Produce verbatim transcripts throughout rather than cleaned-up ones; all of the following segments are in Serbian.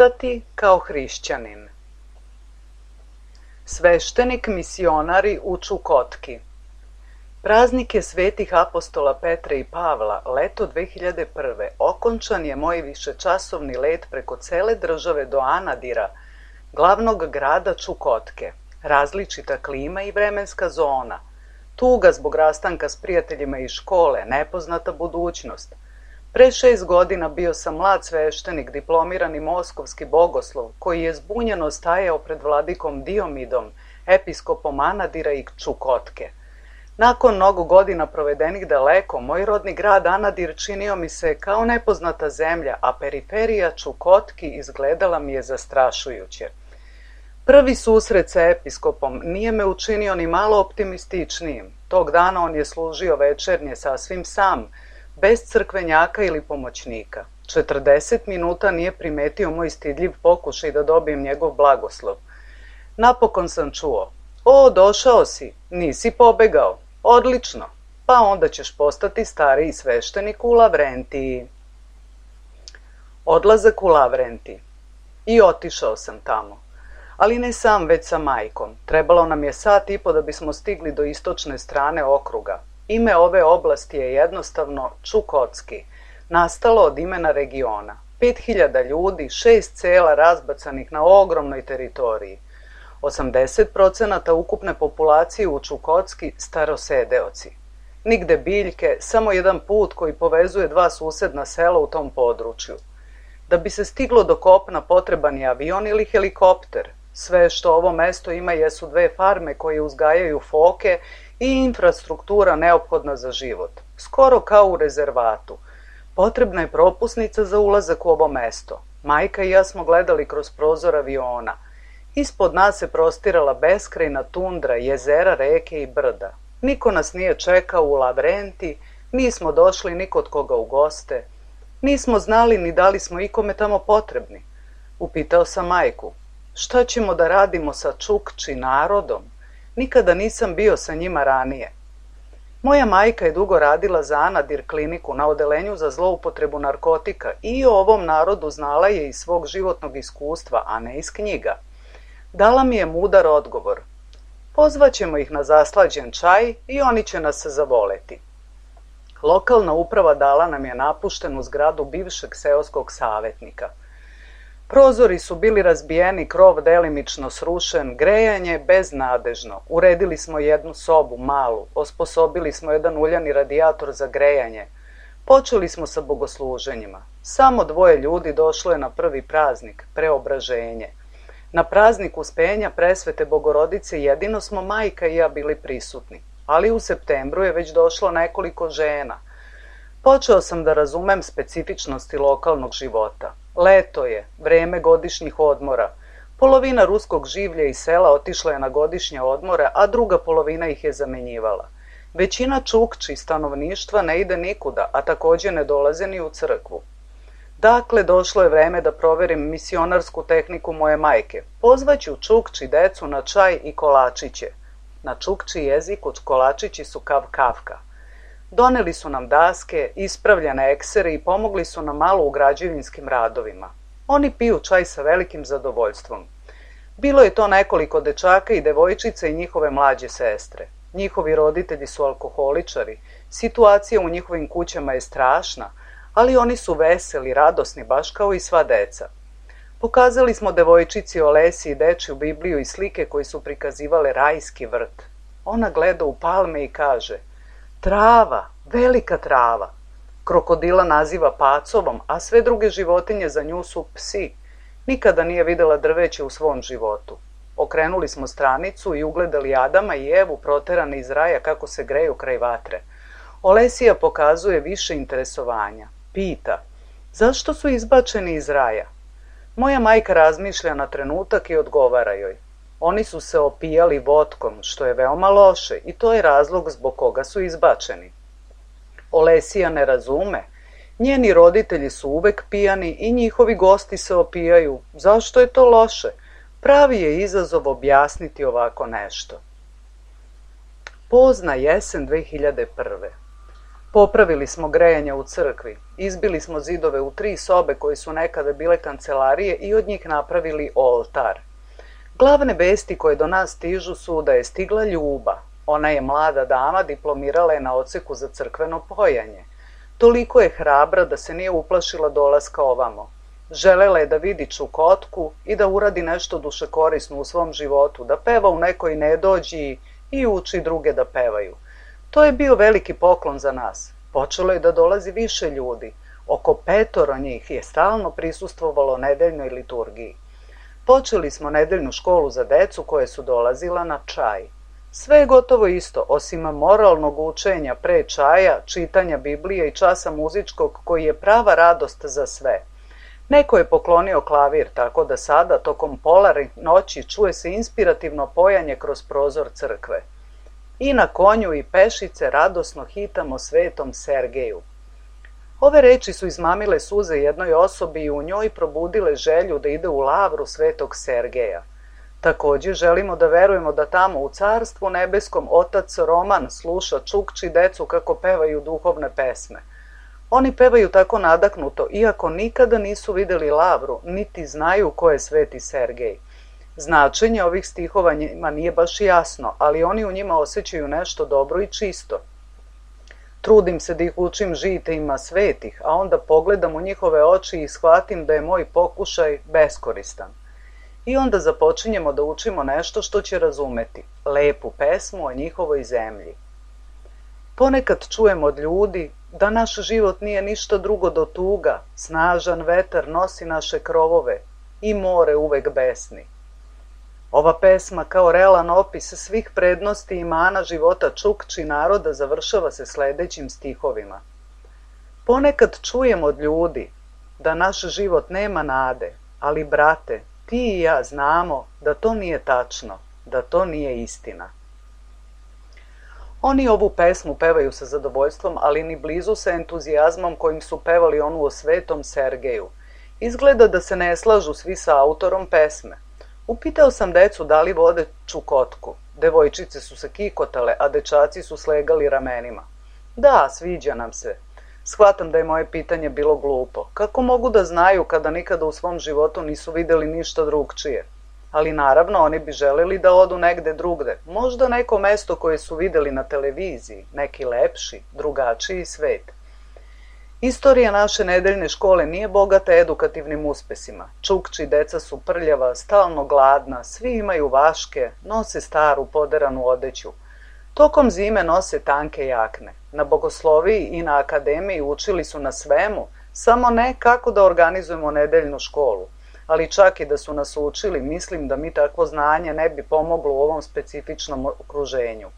Ostati kao hrišćanin. Sveštenik misionari u Čukotki. Praznike svetih apostola Petra i Pavla, leto dve hiljade prve. Okončan je moj višečasovni let preko cele države do Anadira, glavnog grada Čukotke. Različita klima i vremenska zona. Tuga zbog rastanka s prijateljima iz škole, nepoznata budućnost. Pre šest godina bio sam mlad sveštenik, diplomirani moskovski bogoslov, koji je zbunjeno stajao pred vladikom Diomidom, episkopom Anadira i Čukotke. Nakon mnogo godina provedenih daleko, moj rodni grad Anadir činio mi se kao nepoznata zemlja, a periferija Čukotki izgledala mi je zastrašujuće. Prvi susret sa episkopom nije me učinio ni malo optimističnijim. Tog dana on je služio večernje sasvim sam, bez crkvenjaka ili pomoćnika. četrdeset minuta nije primetio moj stidljiv pokušaj da dobijem njegov blagoslov. Napokon sam čuo: "O, došao si, nisi pobegao. Odlično, pa onda ćeš postati stariji sveštenik u Lavrentiji." Odlazak u Lavrentij. I otišao sam tamo. Ali ne sam, već sa majkom. Trebalo nam je sat i po da bismo stigli do istočne strane okruga. Ime ove oblasti je jednostavno Čukotski, nastalo od imena regiona. Pet hiljada ljudi, šest sela razbacanih na ogromnoj teritoriji. osamdeset procenata ukupne populacije u Čukotski starosedeoci. Nigde biljke, samo jedan put koji povezuje dva susedna sela u tom području. Da bi se stiglo do kopna potreban je avion ili helikopter. Sve što ovo mesto ima jesu dve farme koje uzgajaju foke i infrastruktura neophodna za život. Skoro kao u rezervatu. Potrebna je propusnica za ulazak u ovo mesto. Majka i ja smo gledali kroz prozor aviona. Ispod nas se prostirala beskrajna tundra, jezera, reke i brda. Niko nas nije čekao u Lavrentij, nismo došli ni kod koga u goste. Nismo znali ni da li smo ikome tamo potrebni. Upitao sam majku: "Šta ćemo da radimo sa Čukči narodom? Nikada nisam bio sa njima ranije." Moja majka je dugo radila za Anadir kliniku na odelenju za zloupotrebu narkotika i o ovom narodu znala je iz svog životnog iskustva, a ne iz knjiga. Dala mi je mudar odgovor: "Pozvaćemo ih na zaslađen čaj i oni će nas zavoleti." Lokalna uprava dala nam je napuštenu zgradu bivšeg seoskog savetnika. Prozori su bili razbijeni, krov delimično srušen, grejanje beznadežno. Uredili smo jednu sobu, malu, osposobili smo jedan uljani radijator za grejanje. Počeli smo sa bogosluženjima. Samo dvoje ljudi došlo je na prvi praznik, preobraženje. Na praznik Uspenja Presvete Bogorodice jedino smo majka i ja bili prisutni, ali u septembru je već došlo nekoliko žena. Počeo sam da razumem specifičnosti lokalnog života. Leto je, vreme godišnjih odmora. Polovina ruskog življa iz sela otišla je na godišnje odmore, a druga polovina ih je zamenjivala. Većina Čukči stanovništva ne ide nikuda, a takođe ne dolaze ni u crkvu. Dakle, došlo je vreme da proverim misionarsku tehniku moje majke. Pozvaću Čukči decu na čaj i kolačiće. Na Čukči jeziku kolačići su kav kavka. Doneli su nam daske, ispravljene eksere i pomogli su nam malo u građevinskim radovima. Oni piju čaj sa velikim zadovoljstvom. Bilo je to nekoliko dečaka i devojčica i njihove mlađe sestre. Njihovi roditelji su alkoholičari, situacija u njihovim kućama je strašna, ali oni su veseli, radosni, baš kao i sva deca. Pokazali smo devojčici Olesi i dečju Bibliju i slike koji su prikazivale rajski vrt. Ona gleda u palme i kaže: "Trava, velika trava." Krokodila naziva pacovom, a sve druge životinje za nju su psi. Nikada nije videla drveće u svom životu. Okrenuli smo stranicu i ugledali Adama i Evu proterane iz raja kako se greju kraj vatre. Olesija pokazuje više interesovanja. Pita: "Zašto su izbačeni iz raja?" Moja majka razmišlja na trenutak i odgovara joj: "Oni su se opijali vodkom, što je veoma loše, i to je razlog zbog koga su izbačeni." Olesija ne razume. Njeni roditelji su uvek pijani i njihovi gosti se opijaju. Zašto je to loše? Pravi je izazov objasniti ovako nešto. Pozna jesen dve hiljade prve. Popravili smo grejanje u crkvi, izbili smo zidove u tri sobe koje su nekada bile kancelarije i od njih napravili oltar. Glavne vesti koje do nas stižu su da je stigla Ljuba. Ona je mlada dama, diplomirala je na odseku za crkveno pojanje. Toliko je hrabra da se nije uplašila dolaska ovamo. Želela je da vidi Čukotku i da uradi nešto dušekorisno u svom životu, da peva u nekoj nedođi i uči druge da pevaju. To je bio veliki poklon za nas. Počelo je da dolazi više ljudi. Oko petoro njih je stalno prisustvovalo nedeljnoj liturgiji. Počeli smo nedeljnu školu za decu koje su dolazila na čaj. Sve je gotovo isto, osim moralnog učenja pre čaja, čitanja Biblije i časa muzičkog koji je prava radost za sve. Neko je poklonio klavir, tako da sada, tokom polarnih noći, čuje se inspirativno pojanje kroz prozor crkve. I na konju i pešice radosno hitamo svetom Sergeju. Ove reči su izmamile suze jednoj osobi i u njoj probudile želju da ide u lavru svetog Sergeja. Takođe želimo da verujemo da tamo u carstvu nebeskom otac Roman sluša Čukči decu kako pevaju duhovne pesme. Oni pevaju tako nadahnuto, iako nikada nisu videli lavru, niti znaju ko je sveti Sergej. Značenje ovih stihova njima nije baš jasno, ali oni u njima osjećaju nešto dobro i čisto. Trudim se da ih učim žiteljima svetih, a onda pogledam u njihove oči i shvatim da je moj pokušaj beskoristan. I onda započinjemo da učimo nešto što će razumeti, lepu pesmu o njihovoj zemlji. Ponekad čujemo od ljudi da naš život nije ništa drugo do tuga, snažan vetar nosi naše krovove i more uvek besni. Ova pesma kao realan opis svih prednosti i mana života Čukči naroda završava se sledećim stihovima. Ponekad čujemo od ljudi da naš život nema nade, ali brate, ti i ja znamo da to nije tačno, da to nije istina. Oni ovu pesmu pevaju sa zadovoljstvom, ali ni blizu sa entuzijazmom kojim su pevali onu o svetom Sergeju. Izgleda da se ne slažu svi sa autorom pesme. Upitao sam decu da li vode Čukotku. Devojčice su se kikotale, a dečaci su slegali ramenima. Da, sviđa nam se. Shvatam da je moje pitanje bilo glupo. Kako mogu da znaju kada nikada u svom životu nisu videli ništa drugčije? Ali naravno oni bi želeli da odu negde drugde. Možda neko mesto koje su videli na televiziji, neki lepši, drugačiji svet. Istorija naše nedeljne škole nije bogata edukativnim uspesima. Čukči deca su prljava, stalno gladna, svi imaju vaške, nose staru poderanu odeću. Tokom zime nose tanke jakne. Na bogosloviji i na akademiji učili su na svemu, samo ne kako da organizujemo nedeljnu školu. Ali čak i da su nas učili, mislim da mi takvo znanje ne bi pomoglo u ovom specifičnom okruženju.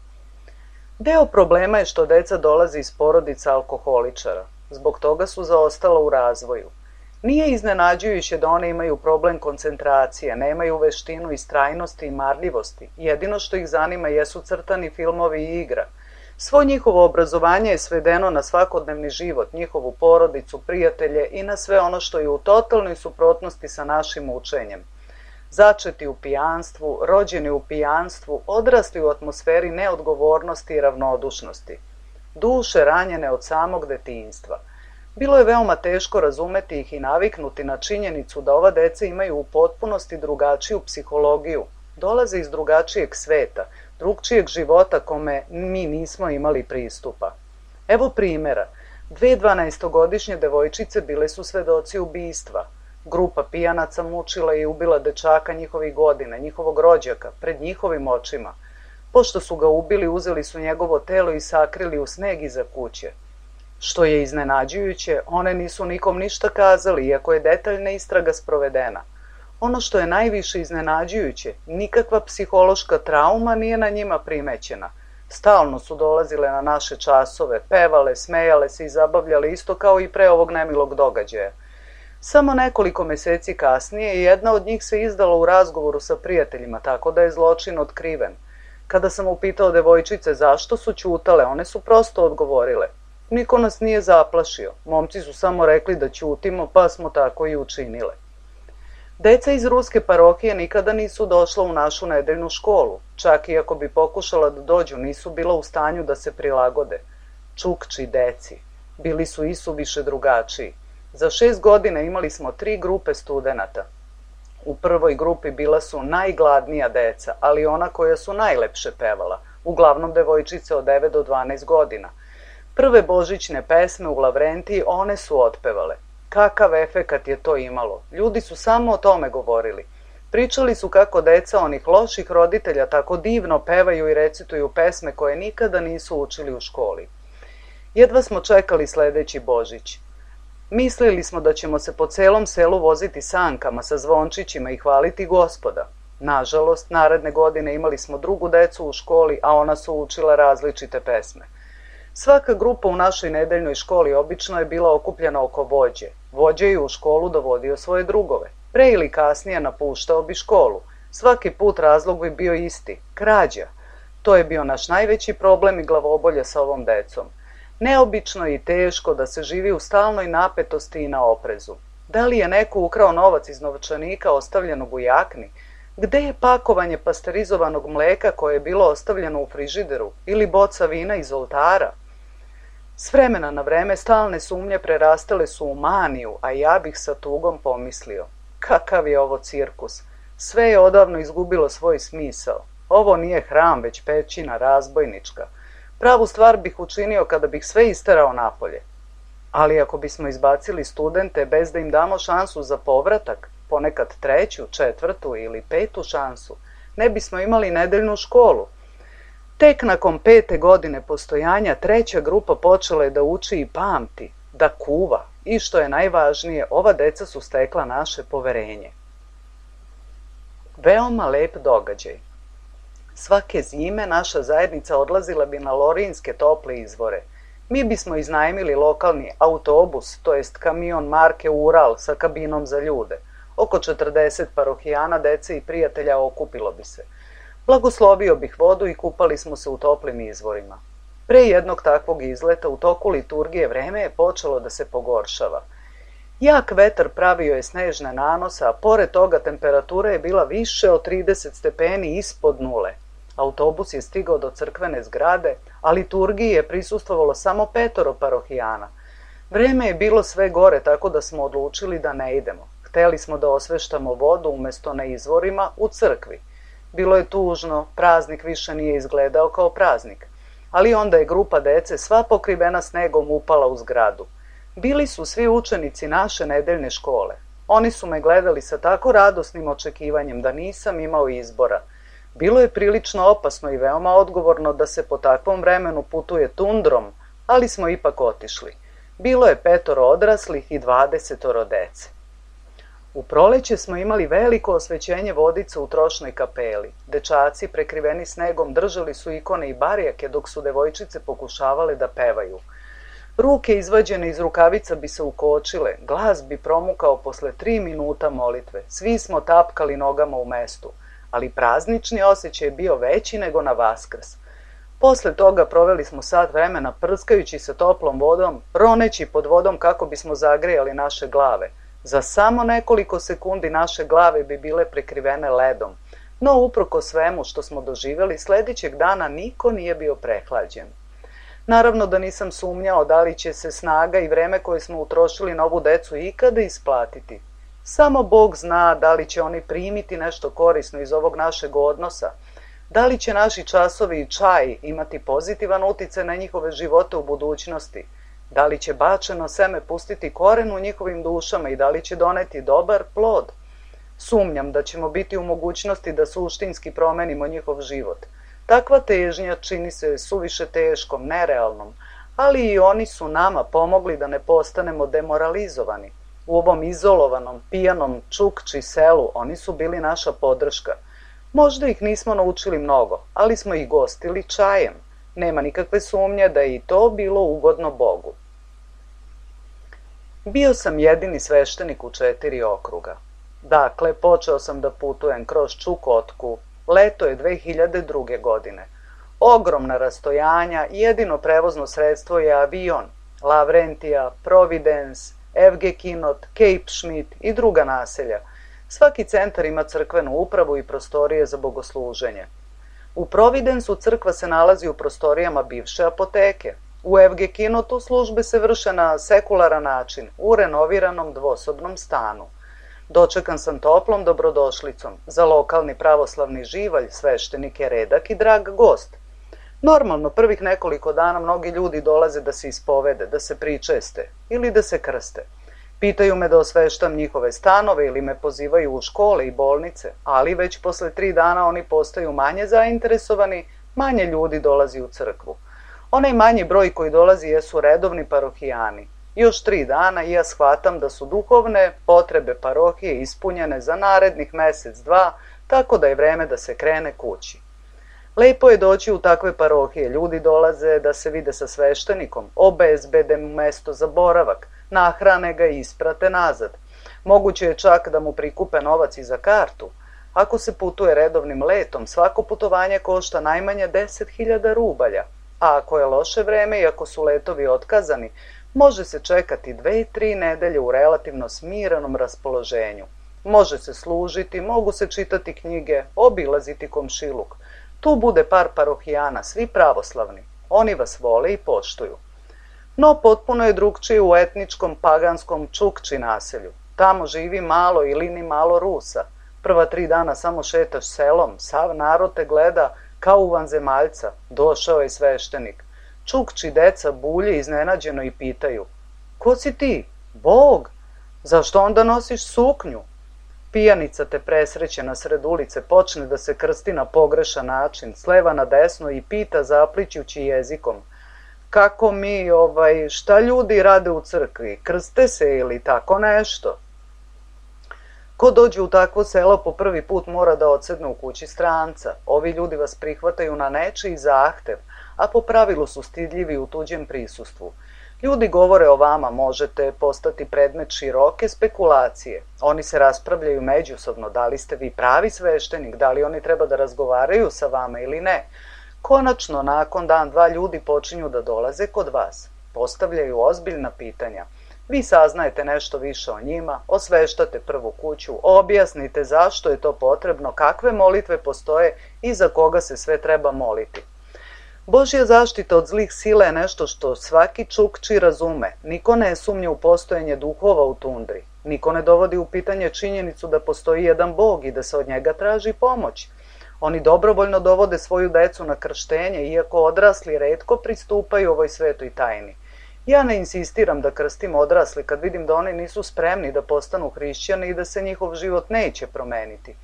Deo problema je što deca dolaze iz porodica alkoholičara. Zbog toga su zaostala u razvoju. Nije iznenađujuće da one imaju problem koncentracije, nemaju veštinu istrajnosti i marljivosti. Jedino što ih zanima jesu crtani filmovi i igra. Svo njihovo obrazovanje je svedeno na svakodnevni život, njihovu porodicu, prijatelje i na sve ono što je u totalnoj suprotnosti sa našim učenjem. Začeti u pijanstvu, rođeni u pijanstvu, odrasli u atmosferi neodgovornosti i ravnodušnosti. Duše ranjene od samog detinjstva. Bilo je veoma teško razumeti ih i naviknuti na činjenicu da ova deca imaju u potpunosti drugačiju psihologiju, dolaze iz drugačijeg sveta, drugčijeg života kome mi nismo imali pristupa. Evo primjera. Dve dvanaestogodišnje devojčice bile su svedoci ubistva. Grupa pijanaca mučila i ubila dečaka njihovih godina, njihovog rođaka, pred njihovim očima. Pošto su ga ubili, uzeli su njegovo telo i sakrili u sneg iza kuće. Što je iznenađujuće, one nisu nikom ništa kazali, iako je detaljna istraga sprovedena. Ono što je najviše iznenađujuće, nikakva psihološka trauma nije na njima primećena. Stalno su dolazile na naše časove, pevale, smejale se i zabavljale isto kao i pre ovog nemilog događaja. Samo nekoliko meseci kasnije jedna od njih se izdala u razgovoru sa prijateljima, tako da je zločin otkriven. Kada sam upitao devojčice zašto su ćutale, one su prosto odgovorile. Niko nas nije zaplašio, momci su samo rekli da ćutimo, pa smo tako i učinile. Deca iz ruske parohije nikada nisu došla u našu nedeljnu školu, čak i ako bi pokušala da dođu, nisu bila u stanju da se prilagode. čukči deci. Bili su isuviše drugačiji. Za šest godina imali smo tri grupe studenata. U prvoj grupi bila su najgladnija deca, ali ona koja su najlepše pevala, uglavnom devojčice od devet do dvanaest godina. Prve božićne pesme u Lavrentiji one su otpevale. Kakav efekat je to imalo? Ljudi su samo o tome govorili. Pričali su kako deca onih loših roditelja tako divno pevaju i recituju pesme koje nikada nisu učili u školi. Jedva smo čekali sledeći Božić. Mislili smo da ćemo se po celom selu voziti sankama sa zvončićima i hvaliti Gospoda. Nažalost, naredne godine imali smo drugu decu u školi, a ona su učila različite pesme. Svaka grupa u našoj nedeljnoj školi obično je bila okupljena oko vođe. Vođa je u školu dovodio svoje drugove. Pre ili kasnije napuštao bi školu. Svaki put razlog bi bio isti – krađa. To je bio naš najveći problem i glavobolja sa ovom decom. Neobično je i teško da se živi u stalnoj napetosti i na oprezu. Da li je neko ukrao novac iz novčanika ostavljenog u jakni? Gde je pakovanje pasterizovanog mleka koje je bilo ostavljeno u frižideru ili boca vina iz oltara? S vremena na vreme stalne sumnje prerastale su u maniju, a ja bih sa tugom pomislio. Kakav je ovo cirkus? Sve je odavno izgubilo svoj smisao. Ovo nije hram, već pećina razbojnička. Pravu stvar bih učinio kada bih sve isterao napolje. Ali ako bismo izbacili studente bez da im damo šansu za povratak, ponekad treću, četvrtu ili petu šansu, ne bismo imali nedeljnu školu. Tek nakon pete godine postojanja treća grupa počela je da uči i pamti, da kuva i što je najvažnije, ova deca su stekla naše poverenje. Veoma lep događaj. Svake zime naša zajednica odlazila bi na lorinske tople izvore. Mi bismo iznajmili lokalni autobus, to jest kamion marke Ural sa kabinom za ljude. Oko četrdeset parohijana, dece i prijatelja okupilo bi se. Blagoslovio bih vodu i kupali smo se u toplim izvorima. Pre jednog takvog izleta u toku liturgije vreme je počelo da se pogoršava. Jak vetar pravio je snežne nanose, a pored toga temperatura je bila više od trideset stepeni ispod nule. Autobus je stigao do crkvene zgrade, a liturgiji je prisustvovalo samo petoro parohijana. Vreme je bilo sve gore, tako da smo odlučili da ne idemo. Hteli smo da osveštamo vodu umesto na izvorima u crkvi. Bilo je tužno, praznik više nije izgledao kao praznik. Ali onda je grupa dece sva pokrivena snegom upala u zgradu. Bili su svi učenici naše nedeljne škole. Oni su me gledali sa tako radosnim očekivanjem da nisam imao izbora. Bilo je prilično opasno i veoma odgovorno da se po takvom vremenu putuje tundrom, ali smo ipak otišli. Bilo je petoro odraslih i dvadesetoro dece. U proleće smo imali veliko osvećenje vodica u trošnoj kapeli. Dečaci prekriveni snegom držali su ikone i barjake dok su devojčice pokušavale da pevaju. Ruke izvađene iz rukavica bi se ukočile, glas bi promukao posle tri minuta molitve. Svi smo tapkali nogama u mestu, ali praznični osjećaj je bio veći nego na Vaskrs. Posle toga proveli smo sat vremena prskajući se toplom vodom, roneći pod vodom kako bismo zagrejali naše glave. Za samo nekoliko sekundi naše glave bi bile prekrivene ledom, no uprko svemu što smo doživjeli, sledećeg dana niko nije bio prehlađen. Naravno da nisam sumnjao da li će se snaga i vreme koje smo utrošili na ovu decu ikada isplatiti. Samo Bog zna da li će oni primiti nešto korisno iz ovog našeg odnosa, da li će naši časovi i čaj imati pozitivan uticaj na njihove živote u budućnosti, da li će bačeno seme pustiti koren u njihovim dušama i da li će doneti dobar plod. Sumnjam da ćemo biti u mogućnosti da suštinski promenimo njihov život. Takva težnja čini se suviše teškom, nerealnom, ali i oni su nama pomogli da ne postanemo demoralizovani. U ovom izolovanom, pijanom čukči selu oni su bili naša podrška. Možda ih nismo naučili mnogo, ali smo ih gostili čajem. Nema nikakve sumnje da je i to bilo ugodno Bogu. Bio sam jedini sveštenik u četiri okruga. Dakle, počeo sam da putujem kroz Čukotku. Leto je dve hiljade druge. godine. Ogromna rastojanja, jedino prevozno sredstvo je avion, Lavrentija, Providence, Evgekinot, Cape Schmidt i druga naselja. Svaki centar ima crkvenu upravu i prostorije za bogosluženje. U Providensu crkva se nalazi u prostorijama bivše apoteke. U Evgekinotu službe se vrše na sekularan način, u renoviranom dvosobnom stanu. Dočekan sam toplom dobrodošlicom. Za lokalni pravoslavni živalj sveštenik je redak i drag gost. Normalno, prvih nekoliko dana mnogi ljudi dolaze da se ispovede, da se pričeste ili da se krste. Pitaju me da osveštam njihove stanove ili me pozivaju u škole i bolnice, ali već posle tri dana oni postaju manje zainteresovani, manje ljudi dolazi u crkvu. Onaj manji broj koji dolazi jesu redovni parohijani. Još tri dana i ja shvatam da su duhovne potrebe parohije ispunjene za narednih mesec, dva, tako da je vreme da se krene kući. Lepo je doći u takve parohije, ljudi dolaze da se vide sa sveštenikom, obezbede mu mesto za boravak, nahrane ga i isprate nazad. Moguće je čak da mu prikupe novac i za kartu. Ako se putuje redovnim letom, svako putovanje košta najmanje deset hiljada rubalja, a ako je loše vreme i ako su letovi otkazani, može se čekati dve, tri nedelje u relativno smirenom raspoloženju. Može se služiti, mogu se čitati knjige, obilaziti komšiluk. Tu bude par parohijana, svi pravoslavni. Oni vas vole i poštuju. No, potpuno je drugčije u etničkom, paganskom Čukči naselju. Tamo živi malo ili ni malo Rusa. Prva tri dana samo šetaš selom, sav narod te gleda kao u vanzemaljca. Došao je sveštenik. Čukči deca bulje iznenađeno i pitaju: ko si ti? Bog? Zašto onda nosiš suknju? Pijanica te presreće na sred ulice, počne da se krsti na pogrešan način, s leva na desno i pita zaplićući jezikom: kako mi, ovaj, šta ljudi rade u crkvi, krste se ili tako nešto? Ko dođe u takvo selo po prvi put mora da odsedne u kući stranca. Ovi ljudi vas prihvataju na nečiji zahtev, a po pravilu su stidljivi u tuđem prisustvu. Ljudi govore o vama, možete postati predmet široke spekulacije. Oni se raspravljaju međusobno, da li ste vi pravi sveštenik, da li oni treba da razgovaraju sa vama ili ne. Konačno, nakon dan, dva ljudi počinju da dolaze kod vas. Postavljaju ozbiljna pitanja. Vi saznajete nešto više o njima, osveštate prvu kuću, objasnite zašto je to potrebno, kakve molitve postoje i za koga se sve treba moliti. Božja zaštita od zlih sila je nešto što svaki Čukči razume. Niko ne sumnja u postojanje duhova u tundri. Niko ne dovodi u pitanje činjenicu da postoji jedan Bog i da se od njega traži pomoć. Oni dobrovoljno dovode svoju decu na krštenje, iako odrasli retko pristupaju ovoj svetoj tajni. Ja ne insistiram da krstim odrasli kad vidim da oni nisu spremni da postanu hrišćani i da se njihov život neće promeniti.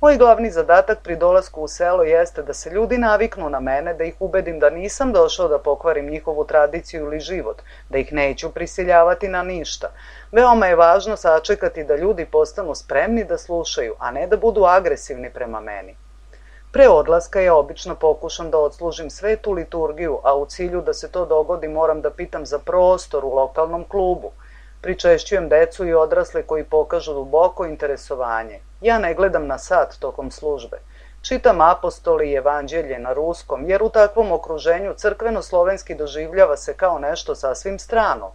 Moj glavni zadatak pri dolasku u selo jeste da se ljudi naviknu na mene, da ih ubedim da nisam došao da pokvarim njihovu tradiciju ili život, da ih neću prisiljavati na ništa. Veoma je važno sačekati da ljudi postanu spremni da slušaju, a ne da budu agresivni prema meni. Pre odlaska ja obično pokušam da odslužim svetu liturgiju, a u cilju da se to dogodi moram da pitam za prostor u lokalnom klubu. Pričešćujem decu i odrasle koji pokažu duboko interesovanje. Ja ne gledam na sat tokom službe. Čitam apostoli i evanđelje na ruskom, jer u takvom okruženju crkveno-slovenski doživljava se kao nešto sasvim strano.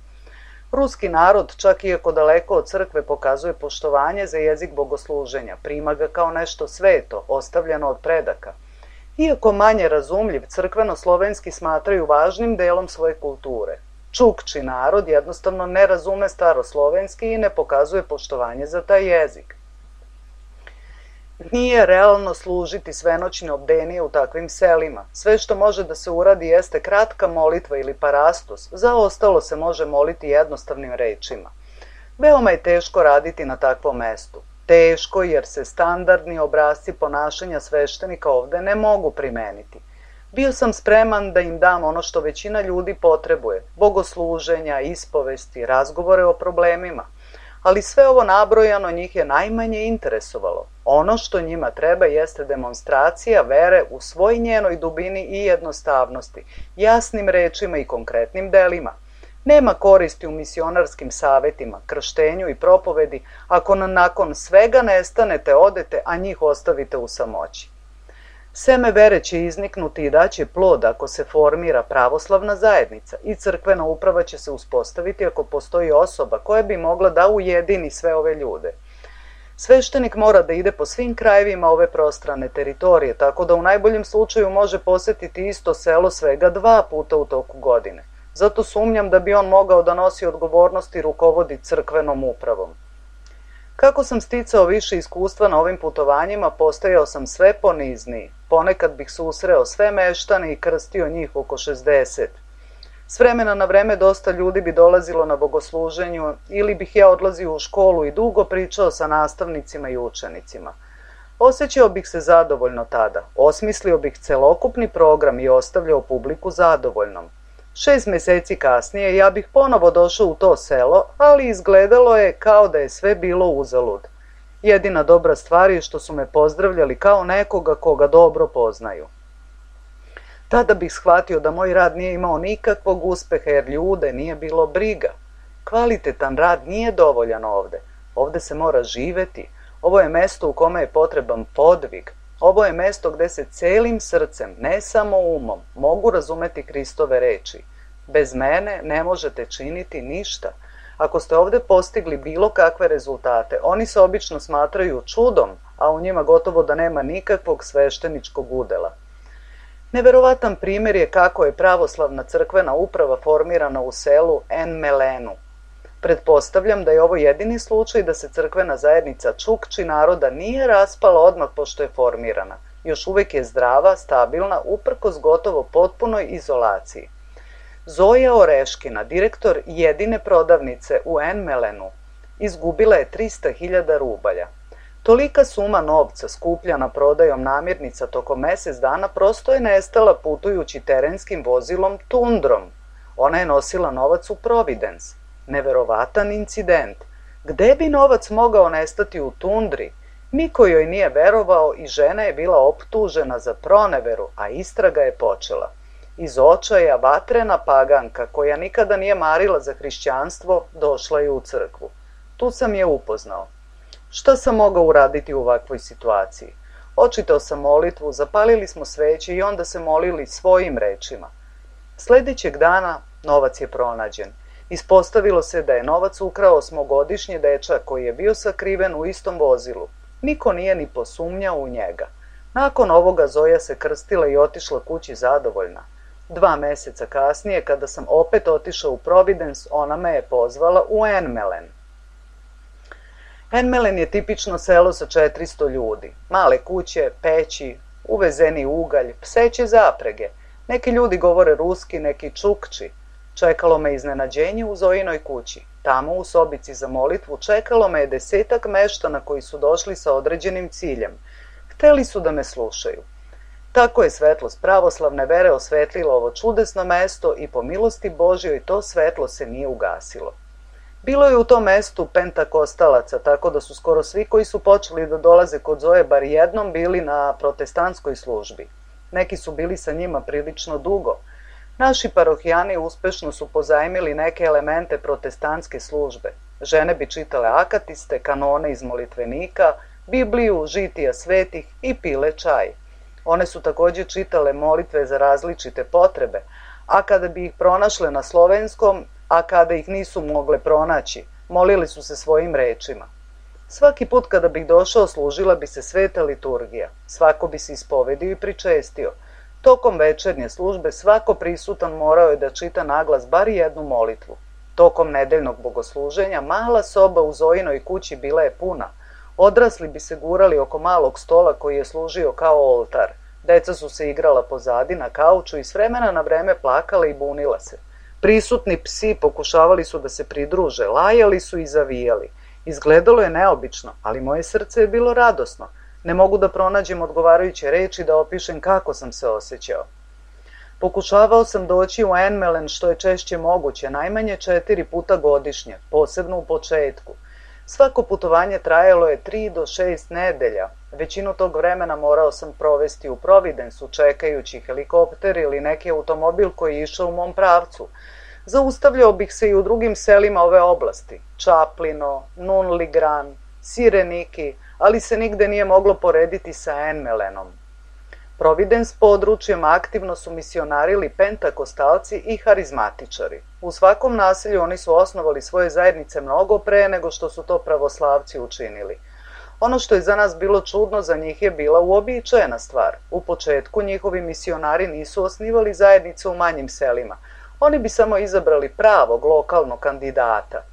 Ruski narod, čak iako daleko od crkve, pokazuje poštovanje za jezik bogosluženja, prima ga kao nešto sveto, ostavljeno od predaka. Iako manje razumljiv, crkveno-slovenski smatraju važnim delom svoje kulture. Čukči narod jednostavno ne razume staroslovenski i ne pokazuje poštovanje za taj jezik. Nije realno služiti svenoćne obdenije u takvim selima. Sve što može da se uradi jeste kratka molitva ili parastos, za ostalo se može moliti jednostavnim rečima. Veoma je teško raditi na takvom mestu. Teško jer se standardni obrasci ponašanja sveštenika ovde ne mogu primeniti. Bio sam spreman da im dam ono što većina ljudi potrebuje, bogosluženja, ispovesti, razgovore o problemima. Ali sve ovo nabrojano njih je najmanje interesovalo. Ono što njima treba jeste demonstracija vere u svoj njenoj dubini i jednostavnosti, jasnim rečima i konkretnim delima. Nema koristi u misionarskim savetima, krštenju i propovedi ako nakon svega nestanete, odete, a njih ostavite u samoći. Seme vere će izniknuti i daće plod ako se formira pravoslavna zajednica i crkvena uprava će se uspostaviti ako postoji osoba koja bi mogla da ujedini sve ove ljude. Sveštenik mora da ide po svim krajevima ove prostrane teritorije, tako da u najboljem slučaju može posetiti isto selo svega dva puta u toku godine. Zato sumnjam da bi on mogao da nosi odgovornost i rukovodi crkvenom upravom. Kako sam sticao više iskustva na ovim putovanjima, postajao sam sve ponizniji. Ponekad bih susreo sve meštane i krstio njih oko šezdeset. S vremena na vreme dosta ljudi bi dolazilo na bogosluženju ili bih ja odlazio u školu i dugo pričao sa nastavnicima i učenicima. Osjećao bih se zadovoljno tada, osmislio bih celokupni program i ostavljao publiku zadovoljnom. Šest meseci kasnije ja bih ponovo došao u to selo, ali izgledalo je kao da je sve bilo uzalud. Jedina dobra stvar je što su me pozdravljali kao nekoga koga dobro poznaju. Tada bih shvatio da moj rad nije imao nikakvog uspeha jer ljude nije bilo briga. Kvalitetan rad nije dovoljan ovde. Ovde se mora živeti. Ovo je mesto u kome je potreban podvig. Ovo je mesto gde se celim srcem, ne samo umom, mogu razumeti Kristove reči. Bez mene ne možete činiti ništa. Ako ste ovde postigli bilo kakve rezultate, oni se obično smatraju čudom, a u njima gotovo da nema nikakvog svešteničkog udela. Neverovatan primjer je kako je pravoslavna crkvena uprava formirana u selu En Melenu. Pretpostavljam da je ovo jedini slučaj da se crkvena zajednica Čukči naroda nije raspala odmah pošto je formirana. Još uvek je zdrava, stabilna, uprkos gotovo potpunoj izolaciji. Zoja Oreškina, direktor jedine prodavnice u En Melenu, izgubila je trista hiljada rubalja. Tolika suma novca skupljana prodajom namirnica tokom mesec dana prosto je nestala putujući terenskim vozilom Tundrom. Ona je nosila novac u Providence. Neverovatan incident. Gde bi novac mogao nestati u tundri? Niko joj nije verovao i žena je bila optužena za proneveru, a istraga je počela. Iz očaja vatrena paganka, koja nikada nije marila za hrišćanstvo, došla je u crkvu. Tu sam je upoznao. Šta sam mogao uraditi u ovakvoj situaciji? Očitao sam molitvu, zapalili smo sveće i onda se molili svojim rečima. Sledećeg dana novac je pronađen. Ispostavilo se da je novac ukrao osmogodišnji dečak koji je bio sakriven u istom vozilu. Niko nije ni posumnjao u njega. Nakon ovoga Zoja se krstila i otišla kući zadovoljna. Dva meseca kasnije, kada sam opet otišao u Providence, ona me je pozvala u En Melen. En Melen je tipično selo sa četiristo ljudi. Male kuće, peći, uvezeni ugalj, pseće zaprege. Neki ljudi govore ruski, neki čukči. Čekalo me iznenađenje u Zojinoj kući. Tamo u sobici za molitvu čekalo me je desetak meštana koji su došli sa određenim ciljem. Hteli su da me slušaju. Tako je svetlost pravoslavne vere osvetlila ovo čudesno mesto i po milosti Božjoj to svetlo se nije ugasilo. Bilo je u tom mestu pentakostalaca, tako da su skoro svi koji su počeli da dolaze kod Zoje bar jednom bili na protestantskoj službi. Neki su bili sa njima prilično dugo. Naši parohijani uspešno su pozajmili neke elemente protestantske službe. Žene bi čitale akatiste, kanone iz molitvenika, Bibliju, žitija svetih i pile čaj. One su takođe čitale molitve za različite potrebe, a kada bi ih pronašle na slovenskom, a kada ih nisu mogle pronaći, molili su se svojim rečima. Svaki put kada bih došao služila bi se sveta liturgija, svako bi se ispovedio i pričestio. Tokom večernje službe svako prisutan morao je da čita naglas bar jednu molitvu. Tokom nedeljnog bogosluženja mala soba u Zojinoj kući bila je puna. Odrasli bi se gurali oko malog stola koji je služio kao oltar. Deca su se igrala pozadi na kauču i s vremena na vreme plakala i bunila se. Prisutni psi pokušavali su da se pridruže, lajali su i zavijali. Izgledalo je neobično, ali moje srce je bilo radosno. Ne mogu da pronađem odgovarajuće reči da opišem kako sam se osjećao. Pokušavao sam doći u En Melen što je češće moguće, najmanje četiri puta godišnje, posebno u početku. Svako putovanje trajalo je tri do šest nedelja. Većinu tog vremena morao sam provesti u Providensu, čekajući helikopter ili neki automobil koji je išao u mom pravcu. Zaustavljao bih se i u drugim selima ove oblasti, Čaplino, Nunligran, Sireniki, ali se nigde nije moglo porediti sa En Melenom. Providence područjem aktivno su misionarili pentakostalci i harizmatičari. U svakom naselju oni su osnovali svoje zajednice mnogo pre nego što su to pravoslavci učinili. Ono što je za nas bilo čudno, za njih je bila uobičajena stvar. U početku njihovi misionari nisu osnivali zajednice u manjim selima. Oni bi samo izabrali pravog lokalnog kandidata.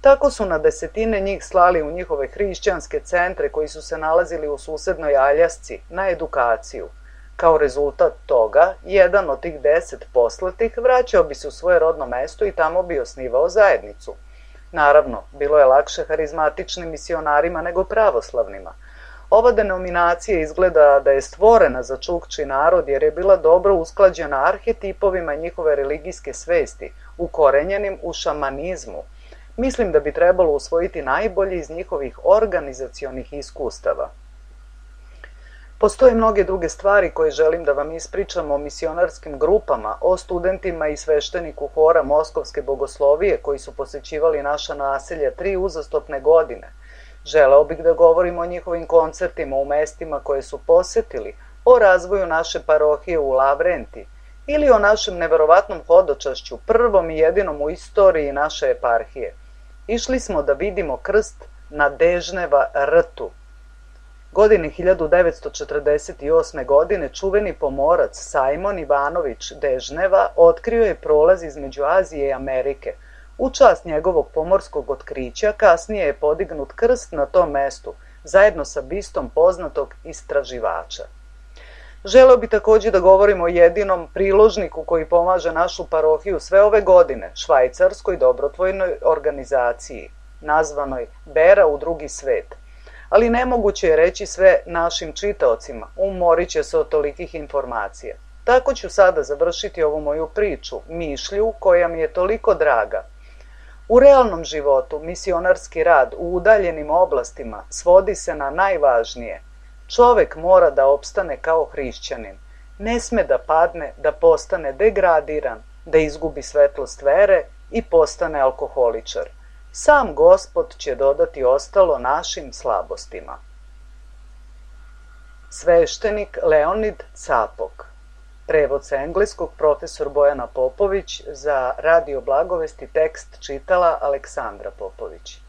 Tako su na desetine njih slali u njihove hrišćanske centre koji su se nalazili u susednoj Aljasci na edukaciju. Kao rezultat toga, jedan od tih deset poslatih vraćao bi se u svoje rodno mesto i tamo bi osnivao zajednicu. Naravno, bilo je lakše harizmatičnim misionarima nego pravoslavnima. Ova denominacija izgleda da je stvorena za čukči narod jer je bila dobro usklađena arhetipovima njihove religijske svesti, ukorenjenim u šamanizmu. Mislim da bi trebalo usvojiti najbolje iz njihovih organizacionih iskustava. Postoje mnoge druge stvari koje želim da vam ispričam o misionarskim grupama, o studentima i svešteniku hora Moskovske bogoslovije koji su posećivali naša naselja tri uzastopne godine. Želeo bih da govorim o njihovim koncertima u mestima koje su posetili, o razvoju naše parohije u Lavrenti ili o našem neverovatnom hodočašću, prvom i jedinom u istoriji naše eparhije. Išli smo da vidimo krst na Dežneva rtu. Godine hiljadu devetsto četrdeset osme. godine čuveni pomorac Sajmon Ivanović Dežneva otkrio je prolaz između Azije i Amerike. U čast njegovog pomorskog otkrića kasnije je podignut krst na tom mestu, zajedno sa bistom poznatog istraživača. Želeo bi također da govorimo o jedinom priložniku koji pomaže našu parohiju sve ove godine, švajcarskoj dobrotvojnoj organizaciji, nazvanoj Bera u drugi svet. Ali nemoguće je reći sve našim čitaocima, umorit će se od tolikih informacija. Tako ću sada završiti ovu moju priču, mišlju koja mi je toliko draga. U realnom životu misionarski rad u udaljenim oblastima svodi se na najvažnije. Čovek mora da opstane kao hrišćanin. Ne sme da padne, da postane degradiran, da izgubi svetlost vere i postane alkoholičar. Sam Gospod će dodati ostalo našim slabostima. Sveštenik Leonid Capok. Prevod sa engleskog profesor Bojana Popović, za Radio Blagovesti tekst čitala Aleksandra Popović.